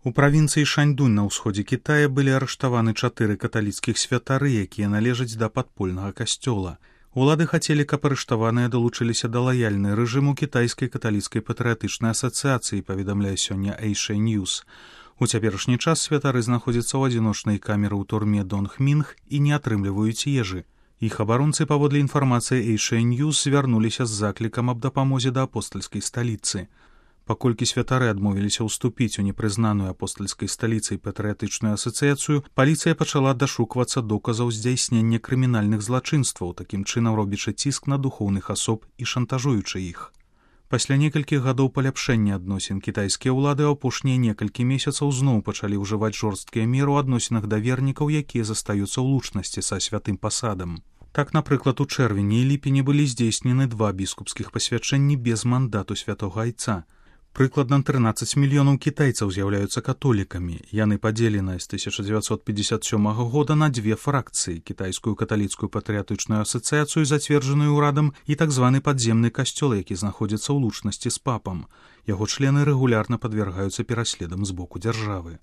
У правінцыі Шаньдунь на ўсходзе Кітая былі арыштаваны 4 каталіцкіх святары, якія належаць да падпольнага касцёла. Улады хацелі, каб арыштаваныя далучыліся да лаяльнай рэжыму кітайскай каталіцкай патрыятычнай асацыяцыі, паведамляе сёння Asia News. У цяперашні час святары знаходзяцца ў адзіночнай камеры ў турме Донгмінг і не атрымліваюць ежы. Іх абаронцы, паводле інфармацыі Asia News, звярнуліся з заклікам аб дапамозе да апостальскай сталіцы. Паколькі святары адмовіліся ўступіць у непрызнаную апостальскай сталіцай патрыятычную асацыяцыю, паліцыя пачала дашуквацца доказаў здзяйснення крымінальных злачынстваў, такім чынам робячы ціск на духоўных асоб і шантажуючы іх. Пасля некалькіх гадоў паляпшэння адносін кітайскія ўлады апошнія некалькі месяцаў зноў пачалі ўжываць жорсткія меры ў адносінах да вернікаў, якія застаюцца ў лучнасці са святым пасадам. Так, напрыклад, у чэрвені і ліпені былі здзейснены 2 біскупскіх пасвячэнні без мандату святога айца. Прыкладна 13 мільёнаў кітайцаў з'яўляюцца католікамі. Яны падзелены з 1957 года на 2 фракцыі: кітайскую каталіцкую патрыятычную асацыяцыю, зацверджаную ўрадам, і так званы падземны касцёл, які знаходзіцца ў лучнасці з папам. Яго члены рэгулярна падвяргаюцца пераследам з боку дзяржавы.